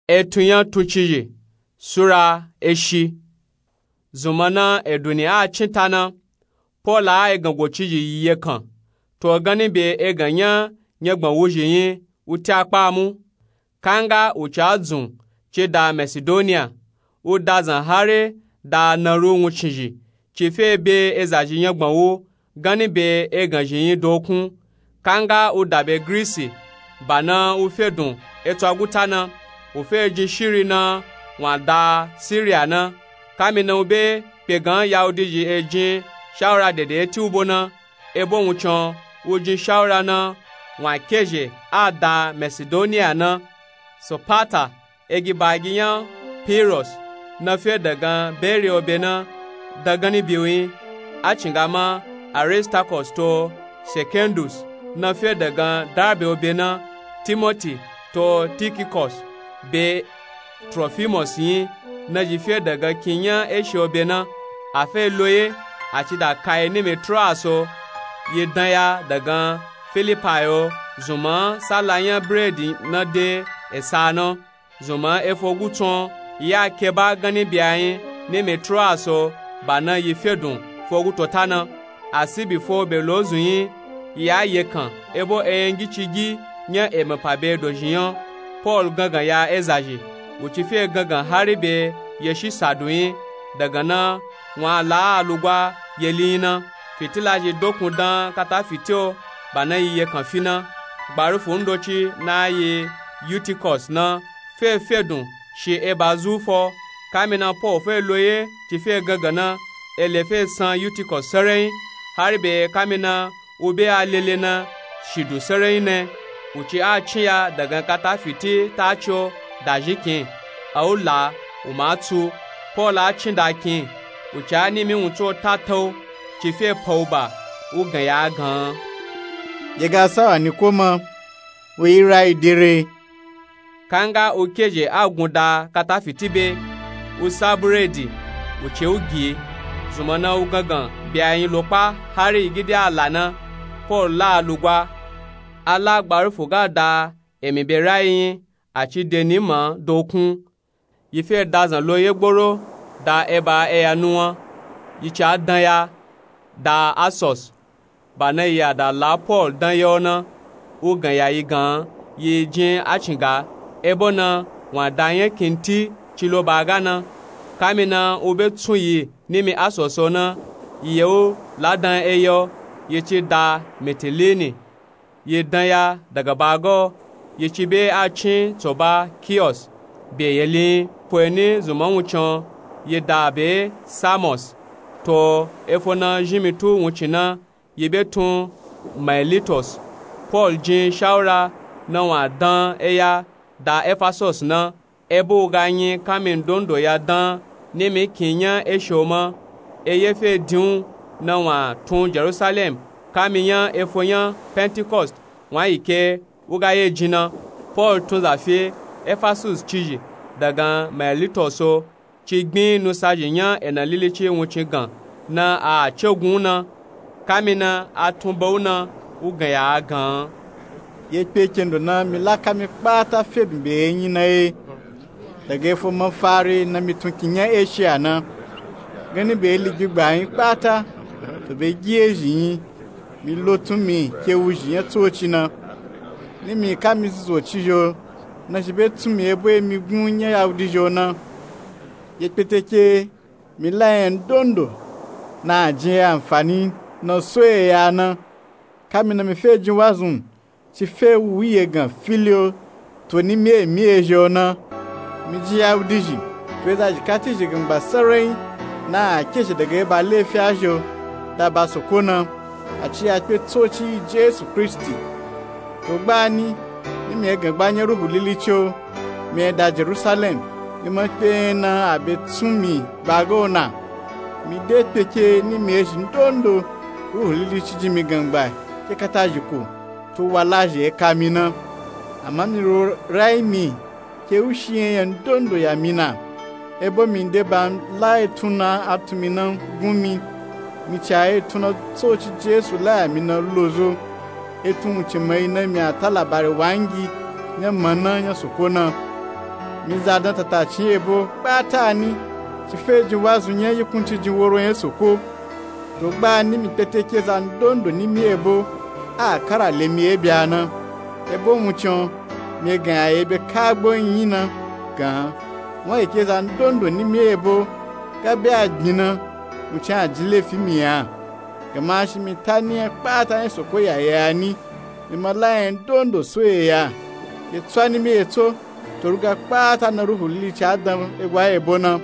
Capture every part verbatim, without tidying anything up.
Etun nya tuncizhi sura eshi. Zunmạ na eduni a cin ta na, Pọọlu a egan gocizhi yi yekan, to ganni be egan nya nyagban wuzhi nyi wuti akpa mu. Kanga u ca dzun ci da Masidoniya, u dazan hari da naru wuncizhi ci fe be ezazhi nyagban wu ganni be eganzhi nyi dokun. Kanga u da be Girisi, ba na u fe dun etswa guta na, u fe jin shiri na wun a da Siriya na. Kamina u be kpe gan Yahudizhi e jin shawura dede eti u bo na, ebo wuncin u jin shawura na wun a kezhe a da Masidoniya na. Sopata, egiba gi nya Pirus, na fe dagan Beriya obe na, da ganni be u nyi. A cinga ma Aristakọs to Sekendus, na fe dagan Darbe obe na, Timoti to Tikikus, be Trofimọs nyi, nazhi fe dagan kin nya Eshiya obe na. A fe lo ye, a ci da ka yi nimi Troaso, yi dan ya dagan Filipai o, zunmạ sala nya bredi na de esa na. Zunmạ efo gutsun yi a keba ganni be a nyi nimi Troaso, ba na yi fe dun fo gutota na. Asibi fo be lo zun nyi, yi a yekan ebo enyangicigi nya emapa be dozhi nya. Pọọlu gangan ya ezazhi, u ci fe gangan hari be yeshi sadu nyi. Dagan na wun a la a lugwa yeli nyi na. Fitilazhi dokun dan kata fiti o, ba na yi yekan fi na. Gbarufu ndoci na yi Yutikọs na fe fe dun shi eba zu fo. Kamina Pọọlu fe lo ye ci fe gangan na, ele fe san Yutikọs sarai nyi, hari be kamina u be a lele na shidu sarai nyi ne. U ci a cin ya dagan kata fiti taci o dazhi kin, a u la, u ma tsu. Pọọlu a cin da kin, u ci a nimi wuntso ta ta u ci fe pa u ba, u gan ya gan, dye ga sawa ni ko ma, u yi rayi dere. Kanga u kezhe a gun da kata fiti be, u sa buredi, u ce u gi. Zunmạ na u gangan be a nyi lo kpa hari yi gidi a la na. Pọọlu la a lugwa. A la gbarufu ga da emi be rayi nyi, a ci de nima dokun. Yi fe dazan lo ye gboro da eba eya nuwan, yi ca dan ya da Asos. Ba na yi a da la Pọọlu dan ya o na, u gan ya yi gan yi jin a cinga, ebo na wun a da nya kinti ci lo ba ga na. Kamina u be tsun yi nimi Asos o na, yi ye u la dan eya o, yi ci da Mitilini. Yi dan ya daga ba ga o, yi ci be a cin tsoba Kiyos be yeli nyi. Fo yi ni zunmạ wuncin o, yi da be Samos. To efo na zhinmitu wuncin na, yi be tun Mailitos. Pọọlu jin shawura na wun a dan eya da Efasos na, ebo u ga nyi kami ndondo ya dan nimi kin nya Eshiya o ma. Eye fe din u na wun a tun Jerusalem kami nya efo nya Pentikọsti wun a yi ke u ga ye jin na. Pọọlu tun za fi Efasus cizhi dagan Mailitos o, ci gbin nusazhi nya ena lilici wuncin gan na a cegun u na. Kamina a tun ba u na, u gan ya a gan, ye kpe kendo na mi la kami kpata fe dun be nyi na ye. Daga efo mafari na mi tun kin nya Eshiya na, ganni be ili gbigba nyi kpata, to be gi ezhi nyi, mi lo tun mi ke wuzhi nya tsoci na. Nimi kami zuzu o cizhi o, nazhi be tsun mi ebo emi gun nya Yahudizhi o na. Ye kpeteke mi la nya ndondo na a jin e anfani na so eya na. Kamina mi fe jin wazun ci fe wu yegan fili o, to nimi emi ezhi o na. Mi jin Yahudizhi, to ezazhi kati zhi gangba sarai na a kezhe daga eba lefiazhi o da ba soko na, a ci ya kpe tsoci yi Jesu Kristi. To gbani, nimi e gangba nya Ruhu Lilici o, mi e da Jerusalem, mi ma kpe nya na a be tsun mi ba ga o na. Mi de kpeke nimi ezhi ndondo, Ruhu Lilici jin mi gangba ke katazhiko, to walazhi e ka mi na. Ama mi ro rayi mi ke u shi enya ndondo ya mi na. Ebo mi de ba la etun na a tun mi na gun mi, mi ca etun na tsoci Jesu la ya mi na lo zo. Etun wuncin ma yi na mi a ta labari wangi nya mana nya soko na. Mi za dan tatacin ebo kpata ni, ci fe jin wazu nya yikunci jin woro nya soko. To gbani mi kpete ke za ndondo ni mi ebo a kara le mi ebya na. Ebo wuncin o, mi gan ya ebe kagbo nyi na gan, won ye ke za ndondo ni mi ebo ga be a gbin na, wuncin a jin lefi mi ya. Gama shi mi ta ni nya kpata nya soko ya ya ni, mi ma la nya ndondo so ye ya. Ye tswa ni mi ye tso, to ruga kpata na ruhu lilici a dan egwa ebo na.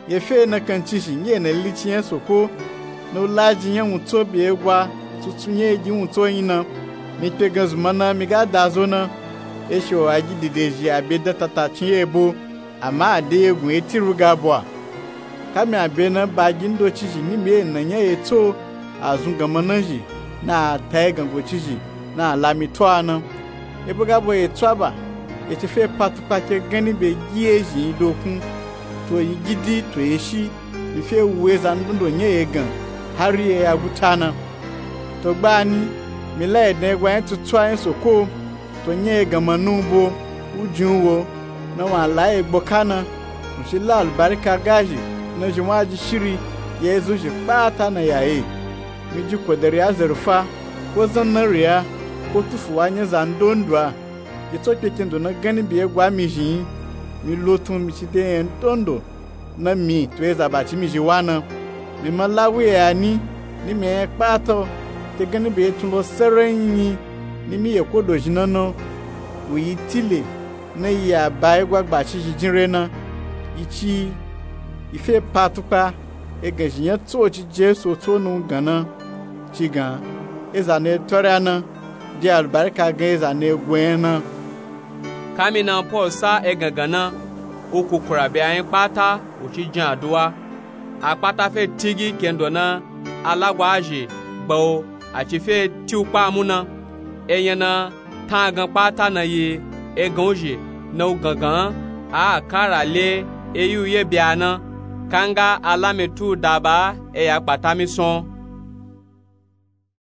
Ye fe na kancin shi nyi ye na lilici nya soko, na wu laji nya wun tso be egwa tsutsu nya egi wun tso nyi na. Mi kpe gan zuma na mi ga da zo na. Eshi o a gi dide zhi a be dan tatacin ebo, ama a de yegun eti ruga bwa. Kami a be na ba gi ndoci zhi ni mi ye na nya ye tso, a zun gan ma na zhi, na a ta ye gan goci zhi, na a la mi twa na. Ebo ga bwa ye tswa ba, ye ci fe pa tukpa ke ganni be gi ye zhi yi dokun, to yi gidi to ye shi, mi fe wu eza ndondo nya ye gan, hari ye ya guta na. To gbani, mi la ye dan egwa nya tutswa nya soko, to nya ye gan ma na wu bo, wu jin wu wo, na wun a la ye gboka na, wun shi la alubarika ga zhi, na zhi wun a ji shiri ye zun zhi kpata na ya ye. Mi ji kodari a zarufa, ko zan na riya, ko tufu wa nya za ndondo a. Ye tso kpe kendo na ganni be egwa mi zhi yi, mi lo tun mi ci de nya ndondo na mi to eza ba ci mi zhi wa na. Mi ma la wu ye ya ni, ni mi a nya kpata o, ke ganni be ye tun lo sarayin nyi, ni mi ye ko dozhi na na, wu yi tile, na yi a ba egwa gbaci zhi jin re na. Yi ci yi, yi fe pa tukpa, egan zhi nya tso ci Jesu tso na wu gan na, ci gan, eza na ye twarya na, de alubarika gan eza na ye go nya na. Kami na Pol sa egan gan na, wu kukura be a nya kpata wu ci jin aduwa. A kpata fe tigi kendo na alagwa a zhi gba wu, a ci fe ti wu kpa mu na. Enya na tan gan kpata na yi egan wu zhi, na wu gangan a kara le eyi wu ye bya na. Kanga a la mi tu da ba eya kpata mi son.